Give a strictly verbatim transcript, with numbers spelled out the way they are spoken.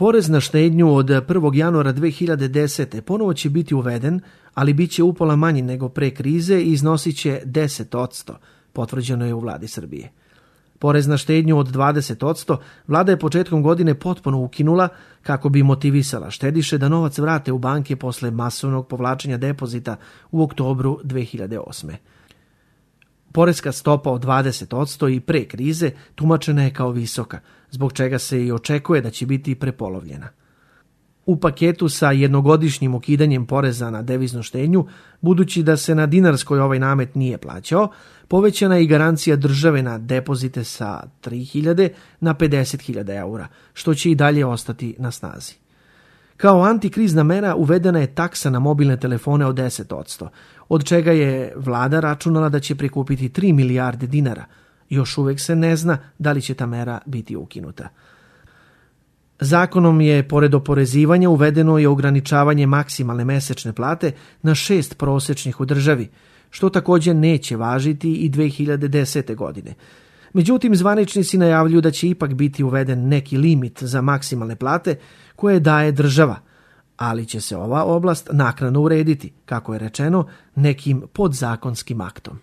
Porez na štednju od prvog januara dve hiljade desete. ponovo će biti uveden, ali bit će upola manji nego pre krize i iznosit će deset posto, potvrđeno je u vladi Srbije. Porez na štednju od dvadeset posto vlada je početkom godine potpuno ukinula kako bi motivisala štediše da novac vrate u banke posle masovnog povlačenja depozita u oktobru dve hiljade osme. Poreska stopa od dvadeset posto i pre krize tumačena je kao visoka, zbog čega se i očekuje da će biti prepolovljena. U paketu sa jednogodišnjim ukidanjem poreza na deviznu štednju, budući da se na dinarskoj ovaj namet nije plaćao, povećana je i garancija države na depozite sa tri hiljade na pedeset hiljada eura, što će i dalje ostati na snazi. Kao antikrizna mera uvedena je taksa na mobilne telefone od deset posto, od čega je vlada računala da će prikupiti tri milijarde dinara. Još uvek se ne zna da li će ta mera biti ukinuta. Zakonom je, pored oporezivanja, uvedeno i ograničavanje maksimalne mesečne plate na šest prosečnih u državi, što također neće važiti i dve hiljade desete. godine. Međutim, zvaničnici najavljuju da će ipak biti uveden neki limit za maksimalne plate koje daje država, ali će se ova oblast naknadno urediti, kako je rečeno, nekim podzakonskim aktom.